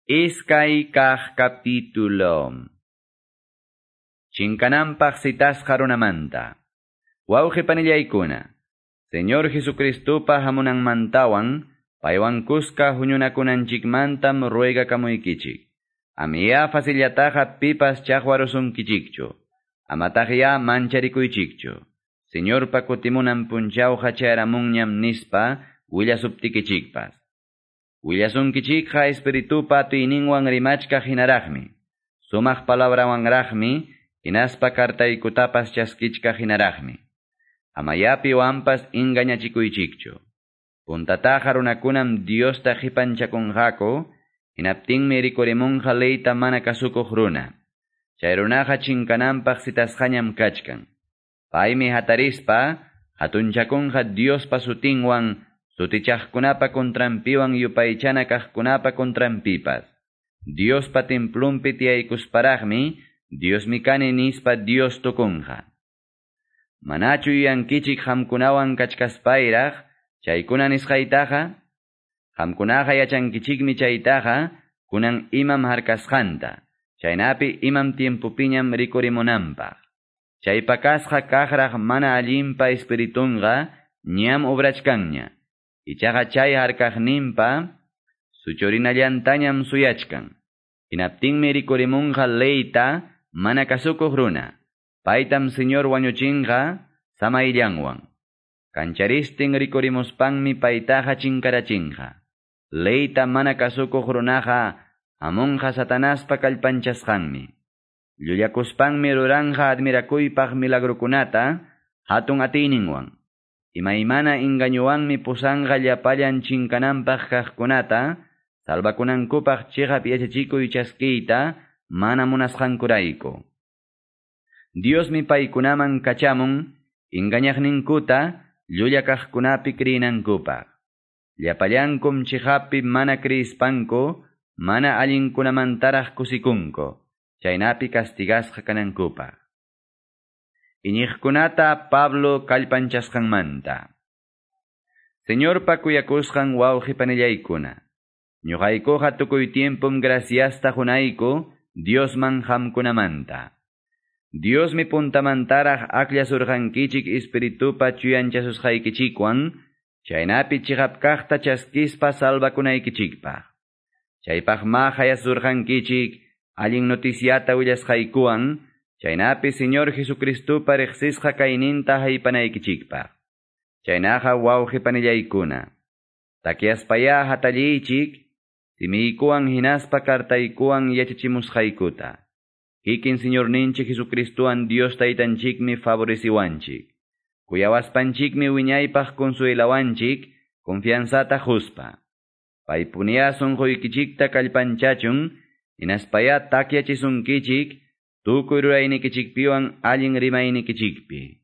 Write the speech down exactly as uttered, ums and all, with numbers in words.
Iskay kaq capítulo. Chinkananpaq citasqa runamanta. Wawqi panillaykuna, Señor Jesucristupa hamunanmantawan, paywan kuska huñunakunanchikmantam ruegakamuykichik. Amiya facillataqa pipas chaqwarusunkichikchu. Amataqya mancharikuychikchu. Señorpa kutimunan punchawqa chayaramunñam nispa willasuptikichikpas. Willasunkichikqa espiritupa atiyninwan rimachkaq hinaraqmi. Sumaq palabrawanraqmi, hinaspa kartaykutapas chaskichkaq hinaraqmi. Amaya piwanpas engañachikuychikchu. Puntataqa runakunam Diosta qipanchakunqaku, hinaptinmi rikurimunqa leyta mana kasukuq runa. Chay runaqa chinkananpaq citasqañam kachkan. Paymi hatarispa, hatunchakunqa Diospa sutinwan, sutichaqkunapa contranpiwan yupaychana kaqkunapa contranpipas. Diospa templunpi tiyaykusparaqmi, Diosmi kani nispa Dios tukunqa. Manachu yuyankichik qamkunawan kachkaspayraq, chaykuna nisqaytaqa? Qamkunaqa yachankichikmi chaytaqa, kunan imam harkasqanta, chaynapi imam tiempopiñam rikurimunanpaq. Chay pakasqa kaqraq mana allinpa espiritunqa ñam obrachkanña. Ichaqa chay harkaqninpa suchurinallantañam suyachkan. Hinaptinmi rikurimunqa leyta mana kasukuq runa. Paytam Señor wañuchinqa samayllanwan. Kancharistin rikurimuspanmi paytaqa chinkarachinqa. Leyta mana kasukuq runaqa hamunqa Satanaspa kallpanchasqanmi. Llullakuspanmi ruranqa admirakuypaq milagrukunata hatun atiyninwan. Imaymana engañuwanmi pusanqa llapallan chinkananpaq kaqkunata, salvakunankupaq chiqap yachachikuy chaskiyta mana munasqankurayku. Diosmi paykunaman kachamun engañaqninkuta llulla kaqkunapi kriynankupaq. Llapallankum chiqappi mana kriyispanku, mana allinkunamantaraq kusikunku, chaynapi castigasqa kanankupaq. Iñiqkunata Pablo kallpanchasqanmanta. Señorpa kuyakusqan wawqi panillaykuna, ñuqaykuqa tukuy tiempom graciasta qunayku Diosman qamkunamanta. Diosmi puntamantaraq akllasurqankichik espiritupa chuyanchasusqaykichikwan, chaynapi chiqap kaqta chaskispa salvakunaykichikpaq. Chaypaqma hayasurqankichik allin noticiata willasqaykuwan, chaynapi Señor Jesucristupa riqsisqa kayninta haypanaykichikpaq. Chaynaqa wawqi panillaykuna, takyaspaya hatalliychik, simiykuwan hinaspa kartaykuwan yachachimusqaykuta. Kikin Señorninchik Jesucristuwan Dios taytanchikmi favoreciwanchik. Kuyawaspanchikmi wiñaypaq consuelawanchik, confianzata quspa. Paypuniya sunquykichikta kallpanchachun, hinaspaya takyachisunkichik, tukuy ruraynikichikpiwan allin rimaynikichikpi.